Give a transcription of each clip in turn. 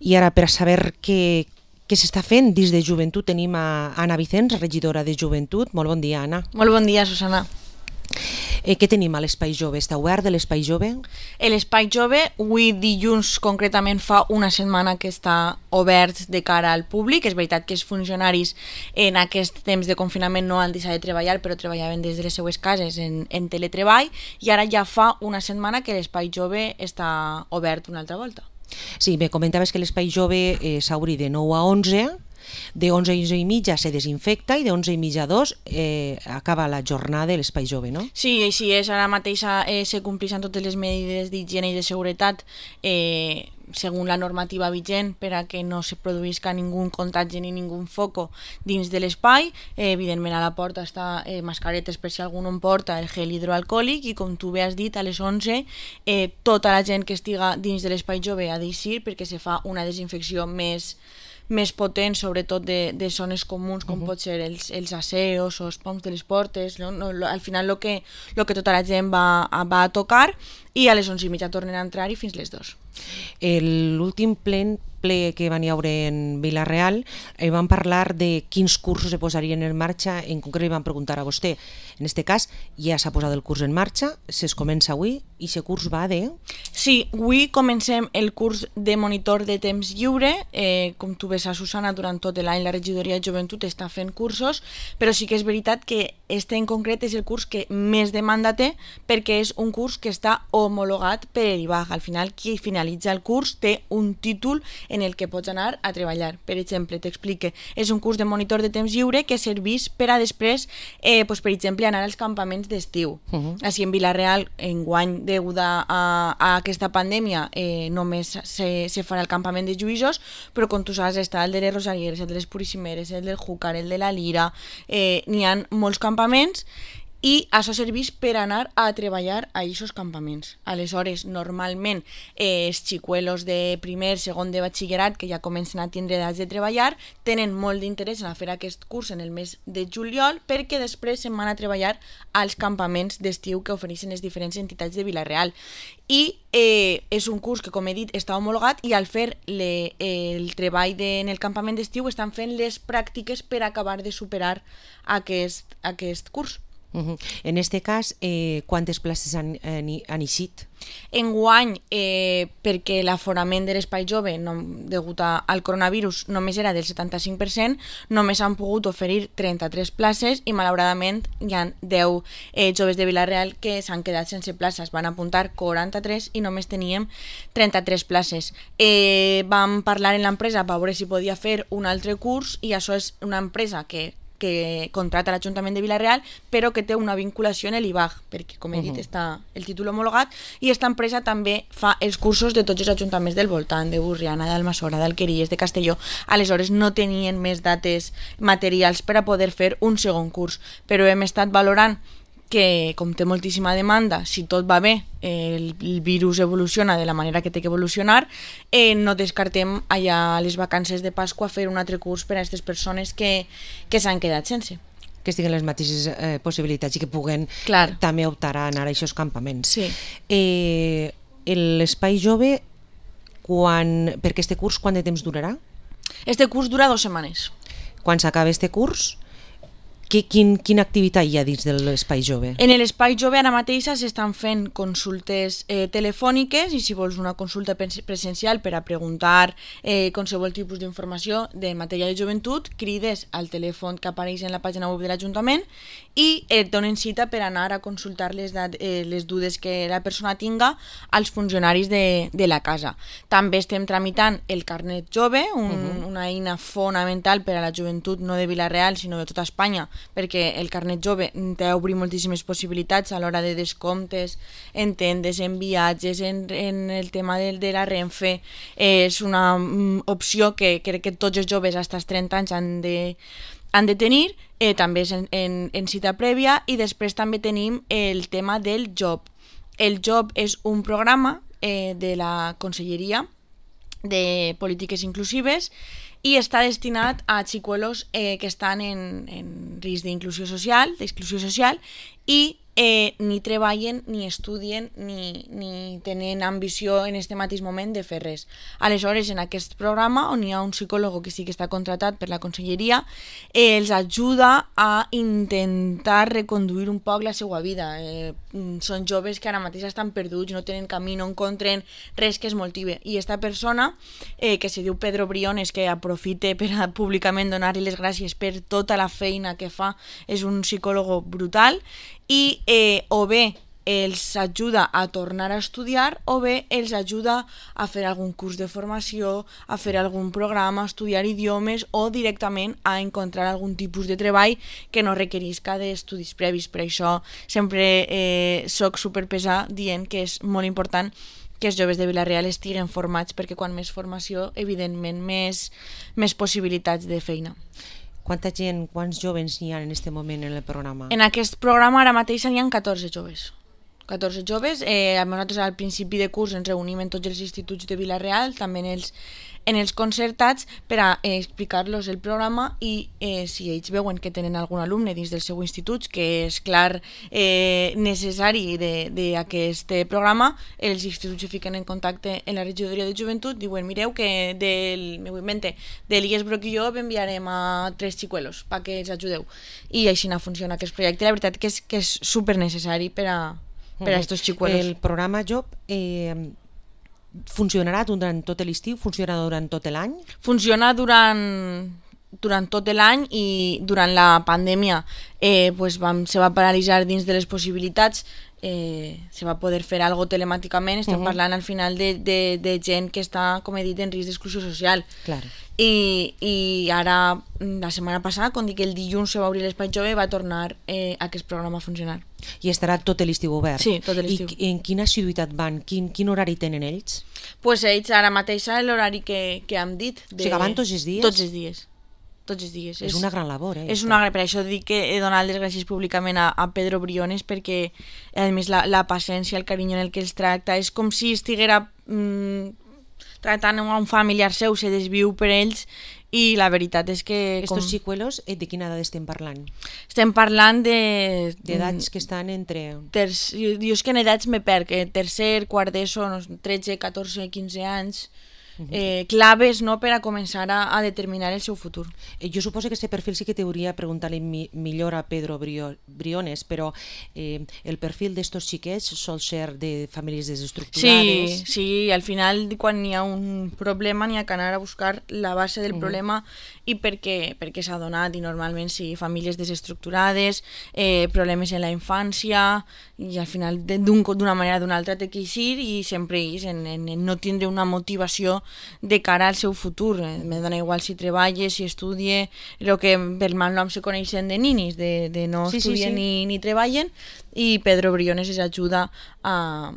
I ara, per saber què s'està fent dins de joventut, tenim a Anna Vicens, regidora de joventut. Molt bon dia, Anna. Molt bon dia, Susana. Què tenim a l'Espai Jove? Està obert l'Espai Jove? L'Espai Jove, avui dilluns concretament fa una setmana que està obert de cara al públic. És veritat que els funcionaris en aquest temps de confinament no han deixat de treballar, però treballaven des de les seues cases en teletreball, i ara ja fa una setmana que l'Espai Jove està obert una altra volta. Sí, me comentaves que l'Espai Jove s'obri de 9 a 11, de 11 a 11 i mitja se desinfecta i de 11 i mitja a 2 acaba la jornada de l'Espai Jove, no? Sí, així és. Ara mateix se compleixen totes les mesures d'higiene i de seguretat segons la normativa vigent per a que no se produïsca ningú contagi ni ningú foco dins de l'espai. Evidentment a la porta està mascaretes per si algú no en porta, el gel hidroalcohòlic, i com tu bé has dit, a les 11 tota la gent que estiga dins de l'Espai Jove ha d'eixir perquè se fa una desinfecció més potent, sobretot de zones comuns com pot ser els aseos o els poms de les portes. Al final el que tota la gent va a tocar, i a les 11 i mitja tornen a entrar-hi fins les 2. L'últim ple que van hi haure en Vila-real van parlar de quins cursos se posarien en marxa. En concret li van preguntar a vostè. En aquest cas ja s'ha posat el curs en marxa, es comença avui, i aquest curs va de... Sí, avui comencem el curs de monitor de temps lliure. Com tu ves, a Susana, durant tot l'any la regidoria de joventut està fent cursos, però sí que és veritat que este en concret és el curs que més demanda té, perquè és un curs que està homologat per l'IBAG. Al final, qui finalitza el curs té un títol en el que pots anar a treballar. Per exemple, t'explique, és un curs de monitor de temps lliure que serveix per a després, per exemple, anar als campaments d'estiu. Així en Vila-real, enguany, degut a aquesta pandèmia, només se farà el campament de Lluïsos, però com tu saps, està el de les Rosarieres, el de les Purissimeres, el del Júcar, el de la Lira. N'hi ha molts campaments, i això serveix per anar a treballar a aquests campaments. Aleshores, normalment, els xicuelos de primer, segon de batxillerat, que ja comencen a tindre edats de treballar, tenen molt d'interès en fer aquest curs en el mes de juliol, perquè després se'n van a treballar als campaments d'estiu que ofereixen les diferents entitats de Vila-real. I és un curs que, com he dit, està homologat, i al fer el treball en el campament d'estiu estan fent les pràctiques per acabar de superar aquest curs. En aquest cas, quantes places han eixit? Enguany, perquè l'aforament de l'Espai Jove, degut al coronavirus, només era del 75%, només han pogut oferir 33 places, i malauradament hi ha 10 joves de Vila-real que s'han quedat sense places. Van apuntar 43 i només teníem 33 places. Vam parlar en l'empresa per veure si podia fer un altre curs, i això és una empresa que contrata l'Ajuntament de Vila-real, però que té una vinculació en l'IBAG, perquè, com he dit, està el títol homologat, i aquesta empresa també fa els cursos de tots els ajuntaments del voltant, de Burriana, d'Almassora, d'Alqueries, de Castelló. Aleshores no tenien més dates materials per a poder fer un segon curs, però hem estat valorant que, com té moltíssima demanda, si tot va bé, el virus evoluciona de la manera que té que evolucionar, no descartem allà a les vacances de Pasqua fer un altre curs per a aquestes persones que s'han quedat sense. Que estiguen les mateixes possibilitats i que puguen també optar a anar a aquests campaments. Sí. L'Espai Jove, per aquest curs, quant de temps durarà? Este curs dura 2 setmanes. Quan s'acaba este curs, quina activitat hi ha dins de l'Espai Jove? En l'Espai Jove ara mateix s'estan fent consultes telefòniques, i si vols una consulta presencial per a preguntar qualsevol tipus d'informació de matèria de joventut, crides al telèfon que apareix en la pàgina web de l'Ajuntament i et donen cita per anar a consultar les dudes que la persona tinga als funcionaris de la casa. També estem tramitant el carnet jove, una eina fonamental per a la joventut no de Vila-real sinó de tota Espanya, perquè el carnet jove té d'obrir moltíssimes possibilitats a l'hora de descomptes, en tendes, en viatges, en el tema de la Renfe. És una opció que crec que tots els joves fins als 30 anys han de tenir, també és en cita prèvia. I després també tenim el tema del JOB. El JOB és un programa de la Conselleria de Polítiques Inclusives i està destinat a xicuelos que estan en risc d'exclusió social, i ni treballen, ni estudien, ni tenen ambició en este mateix moment de fer res. Aleshores, en aquest programa, on hi ha un psicòleg que sí que està contratat per la conselleria, els ajuda a intentar reconduir un poc la seva vida. Són joves que ara mateix estan perduts, no tenen camí, no encontren res que es motive. I esta persona, que se diu Pedro Briones, que aprofite per a públicament donar-li les gràcies per tota la feina que fa, és un psicòleg brutal, i o bé els ajuda a tornar a estudiar o bé els ajuda a fer algun curs de formació, a fer algun programa, a estudiar idiomes o directament a encontrar algun tipus de treball que no requerisca d'estudis previs. Per això sempre soc superpesà dient que és molt important que els joves de Vila-real estiguen formats, perquè quan més formació, evidentment, més possibilitats de feina. Quanta gent, quants joves hi ha en aquest moment en el programa? En aquest programa ara mateix n'hi ha 14 joves. 14 joves. Nosaltres al principi de curs ens reunim en tots els instituts de Vila-real, també en els concertats, per a explicar-los el programa i si ells veuen que tenen algun alumne dins del seu institut, que és clar necessari d'aquest programa, els instituts se fiquen en contacte en la regidoria de joventut, diuen, mireu que de l'IES Broquilló enviarem a 3 xicuelos perquè els ajudeu. I així funciona aquest projecte. La veritat que és super necessari per a estos xicuelos. El programa Job funcionarà durant tot l'estiu? Funciona durant tot l'any? Funciona durant tot l'any, i durant la pandèmia se va paralitzar dins de les possibilitats. Se va poder fer algo telemàticament. Estem parlant al final de gent que està, com he dit, en risc d'exclusió social. Claro. I ara, la setmana passada, quan dic que el dilluns se va obrir l'Espai Jove, va tornar aquest programa a funcionar. I estarà tot l'estiu obert? Sí, tot l'estiu. I en quina assiduïtat van? Quin horari tenen ells? Pues ells ara mateix l'horari que hem dit. O sigui, van tots els dies? Tots els dies. Tots els dies. És una gran labor, És una gran, per això dic que he donat les gràcies públicament a Pedro Briones, perquè a més la paciència, el carinyo en el que els tracta, és com si estiguera tractant a un familiar seu, se desviu per ells, i la veritat és que... Estos xicuelos, de quina edat estem parlant? Estem parlant d'edats que estan entre... Jo és que en edats me perc, tercer, quart d'ESO, 13, 14, 15 anys... claves, no, per a començar a determinar el seu futur. Jo suposo que aquest perfil sí que t'hauria preguntat millor a Pedro Briones, però el perfil d'estos xiquets sol ser de famílies desestructurades. Sí, al final quan hi ha un problema n'hi ha que anar a buscar la base del problema i perquè s'ha donat, i normalment sí, famílies desestructurades, problemes en la infància, i al final d'una manera o d'una altra té que eixir, i sempre és en no tindre una motivació de cara al seu futur. Me dona igual si treballa, si estudia, el que per mal nom se coneixen de ninis, de no estudien ni treballen, i Pedro Briones els ajuda a...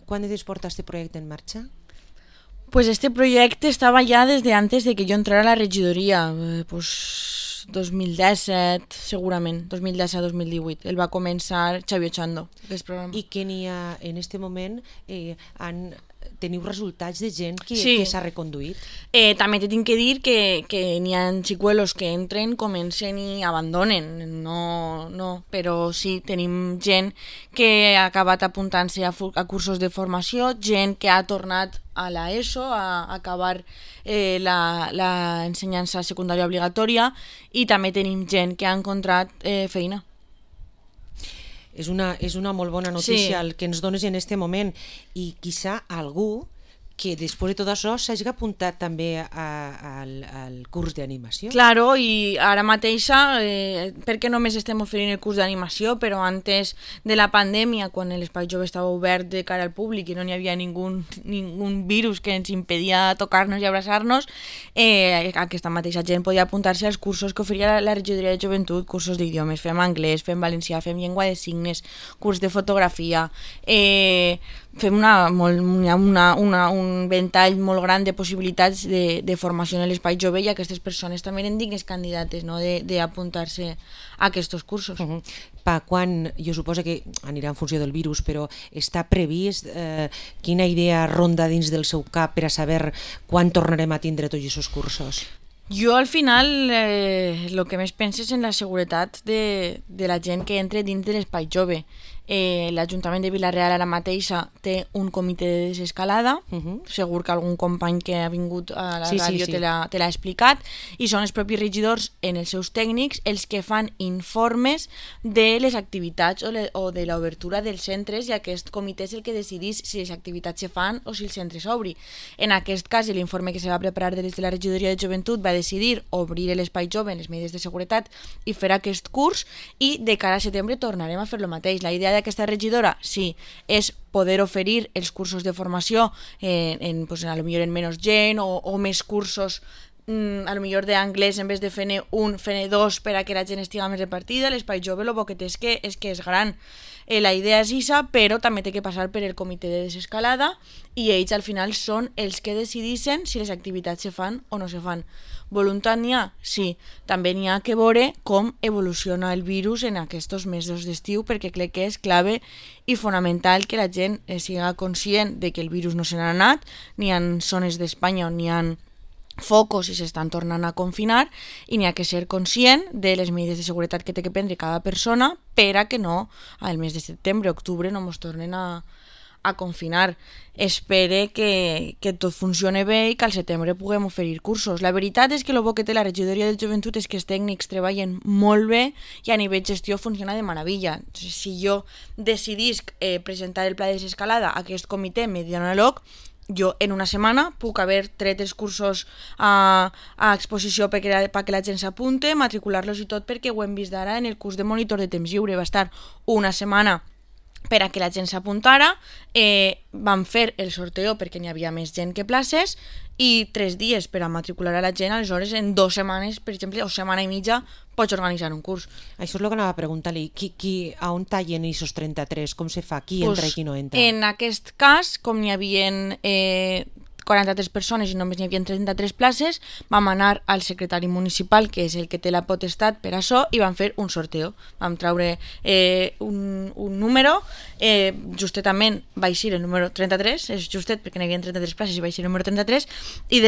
Quan de temps porta este projecte en marxa? Pues este projecte estava ja des de antes de que jo entrara a la regidoria, 2017, segurament, 2017-2018. El va començar Xavi Ochando, aquest programa. I que n'hi ha, en aquest moment, teniu resultats de gent que s'ha reconduït? També t'he que dir que n'hi ha xicuelos que entren, comencen i abandonen. No, però sí, tenim gent que ha acabat apuntant-se a cursos de formació, gent que ha tornat a l'ESO a acabar l'ensenyança secundària obligatòria, i també tenim gent que ha encontrat feina. És una molt bona notícia el que ens dones en aquest moment, i quizá algú que després de tot això s'hagi apuntat també al curs d'animació. Claro, i ara mateixa, perquè només estem oferint el curs d'animació, però antes de la pandèmia, quan l'Espai Jove estava obert de cara al públic i no hi havia ningú virus que ens impedia tocar-nos i abraçar-nos, aquesta mateixa gent podia apuntar-se als cursos que oferia la regidoria de joventut, cursos d'idiomes, fem anglès, fem valencià, fem llengua de signes, curs de fotografia, fem un ventall molt gran de possibilitats de formació en l'Espai Jove, i aquestes persones també eren dignes candidates, no, d'apuntar-se a aquests cursos. Pa quan, jo suposo que anirà en funció del virus, però està previst quina idea ronda dins del seu cap per a saber quan tornarem a tindre tots aquests cursos? Jo al final el que més penso és en la seguretat de la gent que entra dins de l'espai jove. L'Ajuntament de Vila-real ara mateixa té un comitè de desescalada, segur que algun company que ha vingut a la ràdio te l'ha explicat, i són els propis regidors en els seus tècnics els que fan informes de les activitats o de l'obertura dels centres, i aquest comitè és el que decidís si les activitats se fan o si el centre s'obri. En aquest cas, l'informe que se va preparar des de la regidoria de joventut va decidir obrir l'espai jove en les medides de seguretat i fer aquest curs, i de cara a setembre tornarem a fer el mateix. La idea d'aquesta regidora, sí, és poder oferir els cursos de formació pues, a lo millor en menys gent o més cursos a lo millor d'anglès, en vez de fer-ne un, fer-ne dos per a que la gent estigui més repartida. L'espai jove el bo que té és que és gran. La idea és isa, però també té que passar per el comitè de desescalada, i ells al final són els que decideixen si les activitats se fan o no se fan. Voluntat n'hi ha? Sí. També n'hi ha que veure com evoluciona el virus en aquests mesos d'estiu, perquè crec que és clave i fonamental que la gent siga conscient de que el virus no se n'ha anat. N'hi ha zones d'Espanya on n'hi ha focos i s'estan tornant a confinar, i n'hi ha que ser conscient de les medides de seguretat que té que prendre cada persona per a que no, al mes de setembre, octubre, no ens tornen a confinar. Espere que tot funcione bé i que al setembre puguem oferir cursos. La veritat és que el bo que té la regidoria de joventut és que els tècnics treballen molt bé i a nivell gestió funciona de meravella. Si jo decidisc presentar el pla de desescalada a aquest comitè medianalog, jo en una setmana puc haver tret els cursos a exposició perquè la gent s'apunte, matricular-los i tot, perquè ho hem vist ara en el curs de monitor de temps lliure. Va estar una setmana per a que la gent s'apuntara, vam fer el sorteo perquè n'hi havia més gent que places, i 3 dies per a matricular a la gent. Aleshores, en 2 setmanes, per exemple, o setmana i mitja, pots organitzar un curs. Això és el que anava a preguntar-li. A on tallen aquests 33? Com se fa? Qui entra i qui no entra? En aquest cas, com n'hi havia 43 persones i només n'hi havia 33 places, vam anar al secretari municipal, que és el que té la potestat per això, i vam fer un sorteo. Vam treure un número, justament va eixir el número 33, és justet perquè n'hi havia 33 places i va eixir el número 33, i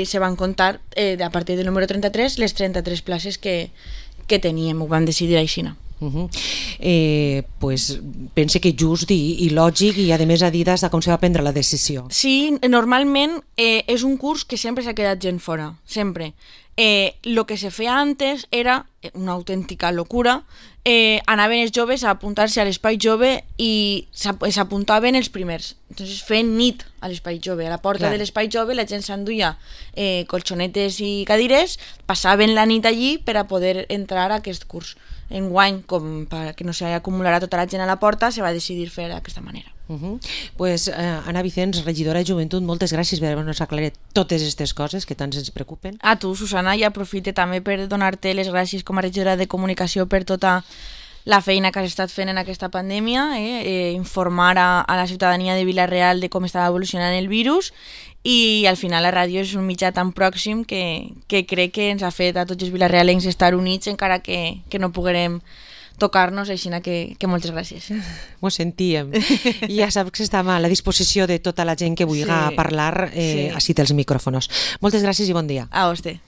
se van comptar a partir del número 33 les 33 places que teníem. Ho vam decidir així. Pues pense que just i lògic, i a més a dir de com se va prendre la decisió. Sí, normalment és un curs que sempre s'ha quedat gent fora, sempre. Lo que se feia antes era una autèntica locura. Anaven els joves a apuntar-se a l'espai jove i s'apuntaven els primers. Entonces feien nit a l'espai jove. A la porta de l'espai jove la gent s'enduia colxonetes i cadires, passaven la nit allí per a poder entrar a aquest curs. Enguany, com perquè no s'acumularà tota la gent a la porta, se va decidir fer d'aquesta manera. Pues Anna Vicens, regidora de Joventut, moltes gràcies per haver-nos aclarat totes aquestes coses que tant ens preocupen. A tu, Susana, i aprofite també per donar-te les gràcies com a regidora de comunicació per tota la feina que has estat fent en aquesta pandèmia, informar a la ciutadania de Vila-real de com estava evolucionant el virus, i al final la ràdio és un mitjà tan pròxim que crec que ens ha fet a tots els vilarealencs estar units encara que no poguerem tocar-nos, així que moltes gràcies. Ho sentíem. I ja saps que estem a la disposició de tota la gent que vulgui parlar així dels micròfons. Moltes gràcies i bon dia. A vostè.